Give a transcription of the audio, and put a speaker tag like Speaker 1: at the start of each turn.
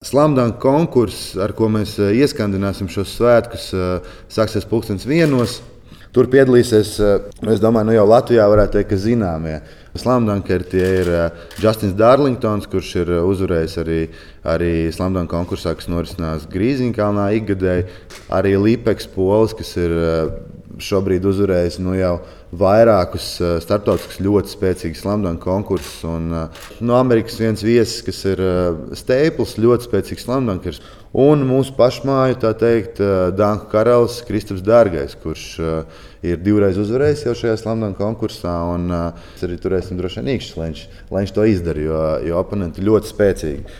Speaker 1: Slamdunk konkurss, ar ko mēs ieskandināsim šos svētkus, sāksies 1:00. Tur piedalīsies, es domāju, jau Latvijā varētu teikt, ka zināmie slamdunkeri. Tie ir Justins Darlingtons, kurš ir uzvarējis arī slamdunk konkursā, kas norisinās Grīziņkalnā ikgadēji. Arī Lipeks Polis, kas ir šobrīd uzvarējis jau vairākus starptautiskus ļoti spēcīgus slamdunk konkursus. Un no Amerikas viens viesis, kas ir Staples, ļoti spēcīgs slamdunkers. Un mūsu pašmāju, tā teikt, danku karalis Kristaps Dārgais, kurš ir 2 reizes uzvarējis jau šajā slamdunk konkursā. Mēs arī turēsim droši vien īkšķus, lai viņš to izdara, jo oponenti ļoti spēcīgi.